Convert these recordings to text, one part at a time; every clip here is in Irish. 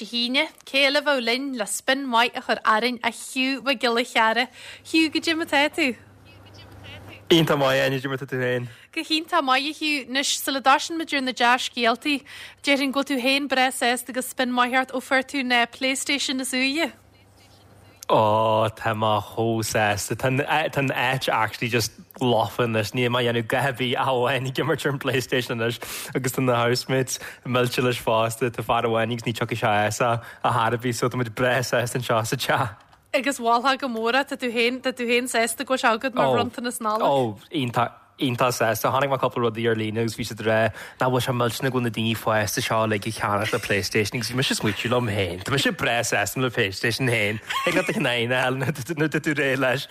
Dé hAoine. Cé eile a bheadh linn le spin maith a chur orainn ach Hugh Mac Giolla Chearra. Hugh, goidé mar atá tú? Iontach maith, Áine, goidé mar atá tú féin? Go hiontach maith, a Hugh. Anois, sula dtoisíonn muid ar na dea-scéaltaí, déarfainn go bhfuil tú féin breá sásta agus spin maith ort ó fuair tú an PlayStation is úire. Ó, tá mé chomh sásta. Tá an áit actually just lofa anois. Níl mé ag déanamh a dhath ar bith ach amháin ag imirt ar an PlayStation anois agus tá na housemates millte leis fosta. Tá fear amháin agus ní tiocfaidh sé as ar chor ar bith so tá muid breá sásta anseo sa teach. Agus mholfá go mór é, tá tú féin, tá tú féin sásta go bhfuil sé agat mar bhronntanas Nollag. Ó, iontach, iontach sásta. Chonaic mé cúpla rudaí ar líne agus bhí siad ag rá nach bhfuil sé millteanach go bhfuil na daoine fásta seo uilig ag ceannacht na PlayStation agus bhí mise ag smaoitiú liom féin, tá mise breá sásta le PlayStation féin. Thig leat do cheann a fháil nuair atá tú réidh leis.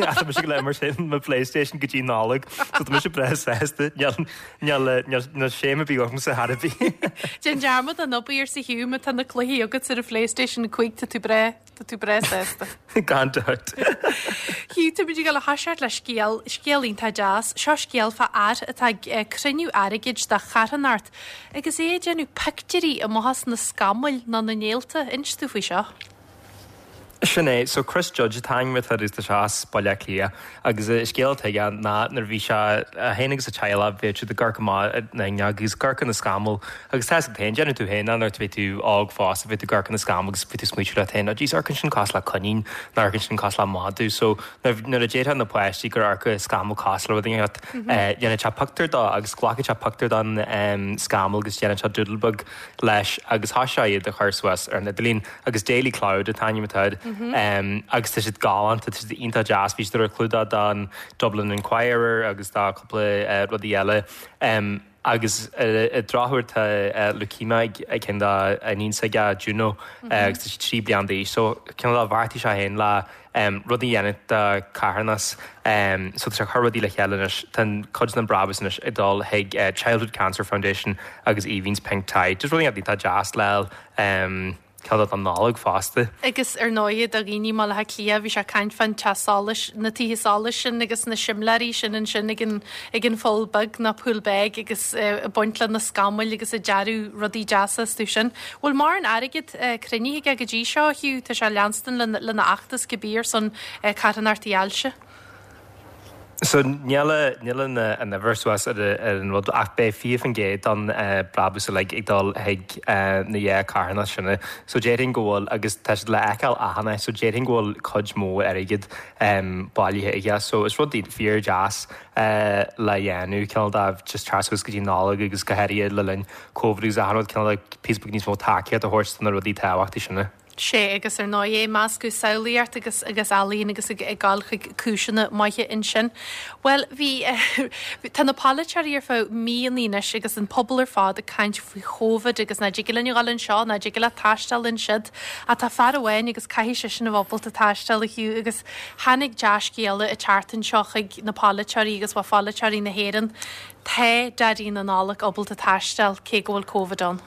Ach tá mise ag imirt mo PlayStation go dtí Nollaig so tá mise breá sásta. Níl, níl, níl, níl scéim ar bith ormsa chor ar bith. Déan dearmad den obair arsa Hugh má tá na cluichí agat ar an PlayStation 5 tá tú breá. Tá tú breá sásta. Gan dabht. Hugh, táimid ag dul a thoiseacht le scéal, scéal iontach deas. Seo scéal fá fhear atá ag cruinniú airgid do charthanacht agus é ag déanamh pictiúirí amach as na scamaill nó na néalta. Inis domh faoi seo. Sin é. So Chris Judge an t-ainm atá air agus tá sé as Baile Átha Cliath agus an scéal atá aige ná nuair a bhí sé, é féin agus a teaghlach, bhíodh siad ag amharc amach an fhuinneog agus ag amharc ar na scamaill Agus tá a fhios agat féin, déanann tú féin é nuair a bhí tú óg fosta, bhí tú ag amharc ar na scamaill agus bhí tú ag smaoitiú leat féin, oh jeez, amharcann sin cosúil le coinín, nó amharcann sin cosúil le madadh. So nuair a déarfadh na páistí gur amharc scamall cosúil le rud inteacht, dhéanadh sé pictiúr dó agus glacadh sé pictiúr den scamall agus dhéanadh sé doodle beag leis agus thosaigh sé iad a chur suas ar an idirlíon agus Daily Cloud an t-ainm atá air agus tá siad galánta, tá siad iontach deas, bhí siad ar an chlúdach don Dublin Inquirer agus do cúpla rudaí eile. Agus ar an drochuair tá leukemia ag ceann dá iníon s'aige, Juno, agus tá sí 3 bliana d'aois. So cineál de bheartaigh sé féin le rud a dhéanamh do charthanas. So tá sé ag cur rudaí le chéile anois. Tá cuid den brabús anois ag dul chuig Childhood Cancer Foundation agus Aoibheann's Pink Tie. Just rud iontach deas le fáil. Ceann don Nollaig fosta. Agus ar ndóighe do dhaoine i mBaile Átha Cliath bhí sé ag caint fán teach solais, na tithe solais sin agus na simléirí sin ansin ag an, ag an pholl beag nó Poolbeg agus ag baint le na scamaill agus ag dearadh rudaí deasa astu sin. Bhfuil mórán airgead cruinnithe aige go dtí seo, Hugh? Tá sé ag leanstan lena, lena fheachtas cibé ar son carthanachtaí ailse. So níl níl an an uimhir suas ar ar an rud ach beidh 20% den brabús uilig ag dul chuig na dhá carthanacht sin. So déarfainn go bhfuil, agus tá siad le feiceáil achan áit, so déarfainn go bhfuil cuid mhór airgid bailithe aige. So is rud fíor deas le dhéanamh, cineál de just teacht suas go dtí Nollaig agus go háirithe le linn Covid agus achan rud, cineál de píosa beag níos mó tacaíocht a thabhairt do na rudaí tábhachtaí sin. Sea, agus ar ndóigh, ag meascadh samhlaíocht agus agus ealaín agus ag ag gabháil chuig cúiseanna maithe ansin. Bhuel, bhí, tá na polaiteoirí ar feadh míonna anois agus an pobal ar fad ag caint faoi Chóvid agus ná dtig linn a dhul anseo, ná dtig leat taisteal ansiúd. Ach tá fear amháin agus caithfidh seisean a bheith ábalta taisteal, a Hugh, agus tháinig dea-scéala an tseachtain seo chuig na polaiteoirí agus, bhuel, pholaiteoirí na hÉireann. Tá Daidí na Nollag ábalta taisteal cé go bhfuil Covid ann.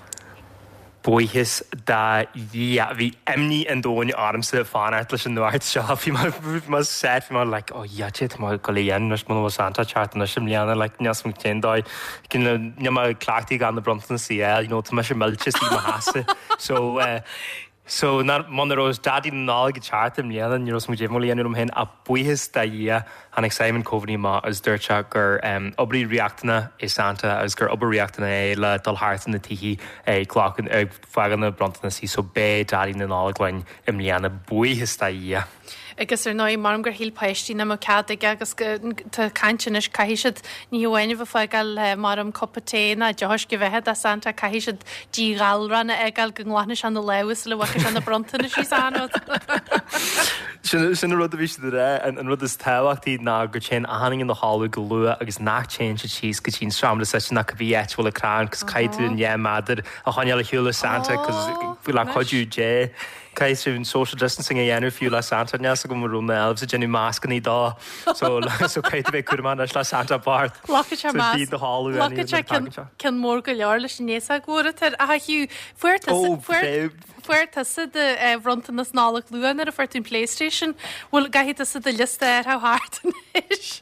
Buíochas do Dhia. Bhí imní an domhain ormsa fanacht leis an nuacht seo. Bhí mé bhí mé set, bhí mé like oh yeah cad é atá mé ag dul a dhéanamh anois muna bhfuil Santa ag teacht anois i mbliana like níl 'fhios a'm cén dóigh níl mé cleachtaithe gan na bronntanas a fháil you know tá mise millte istigh i mo sheasamh so eh so muna raibh Daidí na Nollag ag teacht i mbliana ní raibh 'fhios a'm cad é a dhéanamh liom féin ach buíochas do Dhia Tháinig Simon Coveney amach agus dúirt sé gur oibrí riachtanach é Santa agus gur obair riachtanach é le dul thart na tithe ag glacadh, ag fágáil na bronntanas so beidh Daidí na Nollag linn i mbliana, buíochas do Dhia. Agus ar ndóigh, maram gur shíl páistí nach mbeadh cead aige agus tá caint anois, caithfidh siad ní hamháin a bheith ag fágáil maram cupa tae ná deoch uisce bheatha do Santa, caithfidh siad díghalrán a fhágáil go nglanfaidh sé na lámha sula bhfágfaidh sé na bronntanais is an rud. Sin sin an rud a bhí siad a rá, an rud is tábhachtaí ná go dtéann achan duine ina chodladh go luath agus nach dtéann siad síos go dtí an seomra suite ná cibé áit a bhfuil an crann cos caithfidh tú an 2 méadar a choinneáil ar shiúl le Santa cos le cuidiú Dé caithfidh tú an social distancing a dhéanamh fiú le Santa níl 'fhios agam an raibh na elves ag déanamh mascannaí dó so so caithfidh tú bheith cúramach anois le Santa bocht. Ghlacfadh sé masc, ghlacfadh sé ceann mór go leor leis an fhéasóg mhór atá air. Ach a Hugh, fuair tusa, fuair, fuair tusa do bhronntanas Nollag luath nuair a fuair tú an PlayStation. Bhfuil, gcaithfidh tusa do liosta a athrú thart anois?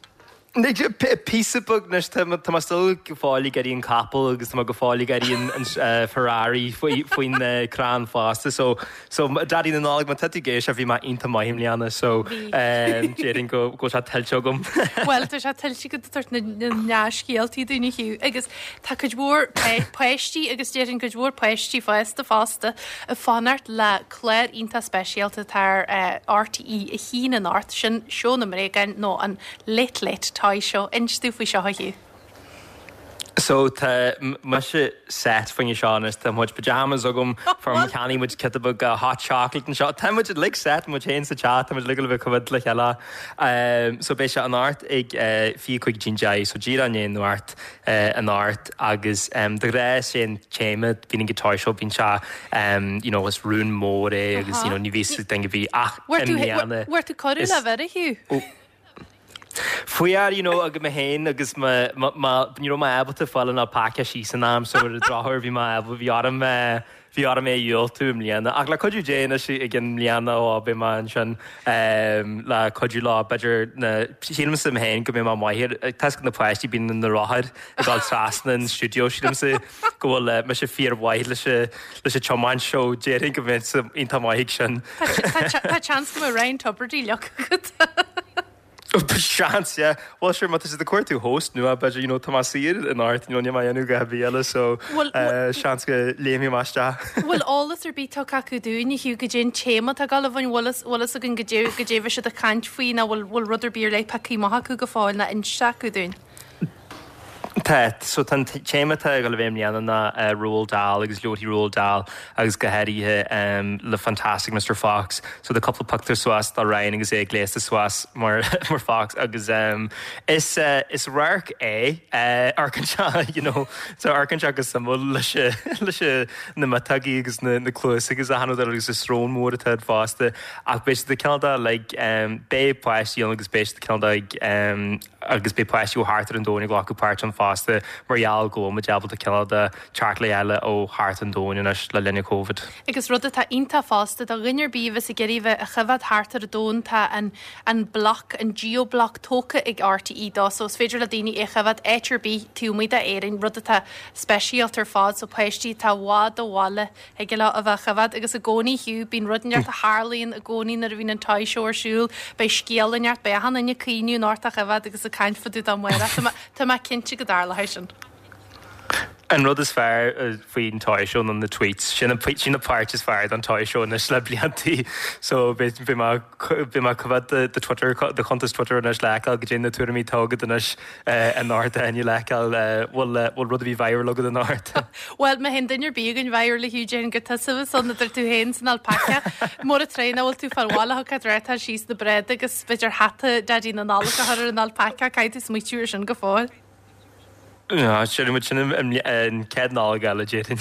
Píosa beag anois, tá mé still go fóill ag iarraidh an capall agus tá mé go fóill ag iarraidh an Ferrari faoin crann fosta. So, so Daidí na Nollag, má tá tú ag éisteacht, bhí mé iontach maith i mbliana, so déarfainn go bhfuil sé tuillte agam. Bhuel, tá sé tuillte agat ag tabhairt na ndea-scéaltaí dúinn, a Hugh, agus tá cuid mhór páistí agus déarfainn cuid mhór páistí fásta fosta ag fanacht le clár iontach speisialta atá ar RTÉ 1 anocht, sin Seó na mBréagán nó an Late Late Toy Show. Inis domh faoi seo, a Hugh. So tá mise set faoin seo anois, tá mo chuid pyjamas agam, fuair mo cheannaigh muid giota beag hot chocolate anseo. Tá muid uilig set, muid féin sa teach, tá muid uilig le bheith coimhéad le chéile. So beidh sé anocht ag 25 go dtí'n 10, so díreach i ndiaidh nuacht anocht agus de ghnáth is é an téama bíonn ag an toy show, bíonn sé you know is rún mór é agus you know ní bhíos ag duine ar bith ach i mbliana Bhfuair tú cuireadh le bheith, a Hugh? Fuair, you know, agam mé féin agus mo, mo, mo, ní raibh mé ábalta fáil an alpaca síos in am so ar an drochuair bhí mé ábalta, bhí orm, bhí orm é a dhiúltú i mbliana. Ach le cuidiú Dé anois i gcionn mbliana ó beidh mé ansin le cuidiú leo, b'fhéidir na, sílimse mé féin go mbeidh mé maith ar, tá 'fhios agat na páistí bíonn na rothair ag dul trasna an stiúideo, sílimse go bhfuil mise fíormhaith leis an, leis an tiomáint so déarfainn go mbeinnse iontach maith ag sin. Tá seans go mbeidh Ryan Tubridy leoc agat. Seans, yeah. Bhuel, sure, má tá siad ag cuartú host nua, b'fhéidir, you know, tá mé saor anocht, you know, níl mé ag déanamh a dhath ar bith eile, so seans go léimfidh mé isteach. Bhfuil eolas ar bith tugtha acu dúinn, a Hugh, goidé an téama atá ag dul a bheith ann, bhfuil fhios againn goidé a bheidh siad ag caint faoi nó bhfuil rud ar bith ar leith pioctha amach acu go fóill nó inste acu dúinn? Tá, so tá an téama atá ag dul a bheith i mbliana ná Roald Dahl agus leabharthaí Roald Dahl agus go háirithe le Fantastic Mister Fox. So tá cúpla pictiúr suas de Ryan agus é gléasta suas mar mar Fox agus is is radharc é amharcann sé you know so amharcann sé go suimiúil leis leis na miotógaí agus na na cluasa agus achan rud eile agus an srón mór atá air fosta ach beidh siad ag cineál de like beidh páistí ann agus beidh siad cineál de ag agus beidh páistí ó thart ar an domhan ag glacadh páirt ann fosta mar gheall go bhfuil muid ábalta cineál de teacht le chéile ó thart an domhain anois le linn an Covid. Agus rud atá iontach fosta, do dhuine ar bith a bheas ag iarraidh bheith á choimhéad thart ar an domhan, tá an an bloc, an geo-block tógtha ag RTÉ dó so is féidir le daoine é a choimhéad áit ar bith taobh amuigh d'Éirinn, rud atá speisialta ar fad, so páistí atá i bhfad ó bhaile, Thig leo a bheith á choimhéad agus i gcónaí Hugh, bíonn rud inteacht a tharlaíonn i gcónaí nuair a bhíonn an Toy Show ar siúl, beidh scéal inteacht, beidh achan duine ag caoineadh anocht á choimhéad agus ag caint fá dtaobh de amárach. Tá mé, tá mé cinnte go dtarlóidh sin. An rud is fearr faoin Toy Show ná na tweets. Sin an, sin an páirt is fearr den Toy Show anois le bliantaí. So beidh, beidh mé, beidh mé ag coimhéad do, do Twitter, do chuntas Twitter anois le feiceáil goidé na tuairimí atá agat anois. Anocht a le feiceáil bhfuil bhfuil rud ar bith viral agat anocht. Bhuel, má théann duine ar bith againn viral a Hugh, déarfainn gur tusa a bheas ann idir tú féin is an alpaca. Mura tréan nach bhfuil tú fáil bhaile thugtha tráth síos na bréada agus b'fhéidir hata Daidí na Nollag a chur ar an alpaca, caithfidh tú smaoitiú ar sin go fóill. Sin muid sin an chéad Nollaig eile, déarfainn.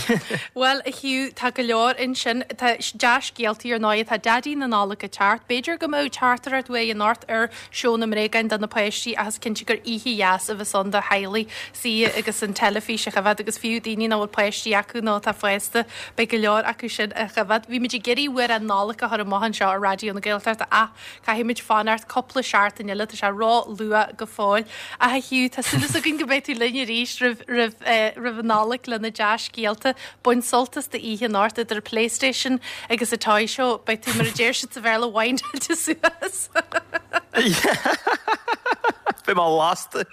Bhuel, a Hugh, tá go leor ansin. Tá dea-scéaltaí ar ndóigh. Tá Daidí na Nollag ag teacht. B'fhéidir go mbeadh teachtaireacht uaidh anocht ar Seó na mBréagán do na páistí ach is cinnte gur oíche dheas a bheas ann do theaghlaigh suí agus an teilifís a choimhéad agus fiú daoine nach bhfuil páistí acu nó atá fásta, beidh go leor acu sin á choimhéad. Bhí muid ag iarraidh amhrán Nollag a chur amach anseo ar Raidió na Gaeltachta ach caithfidh muid fanacht cúpla seachtain eile, tá sé ró-luath go fóill. Ach a Hugh, tá súil againn go mbeidh tú linn arís roimh roimh roimh an Nollaig le na dea-scéalta. Bain sult as d'oíche anocht idir PlayStation agus an Toy Show. Beidh tú, mar a deir siad sa Bhéarla, windáilte suas. Beidh mé lasta.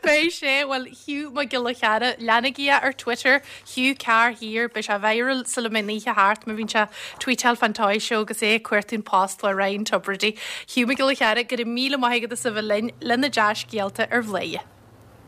Beidh sé. Bhuel, Hugh Mac Giolla Chearra, leanaigí é ar Twitter, Hugh Carr Here. Beidh sé viral sula mbeidh an oíche thart má bhíonn sé ag tweetáil fán Toy Show agus é ag cuartú an post le Ryan Tubridy. Hugh Mac Giolla Chearra, go raibh míle maith agat as a bheith linn le na dea-scéalta ar Bhladhaire.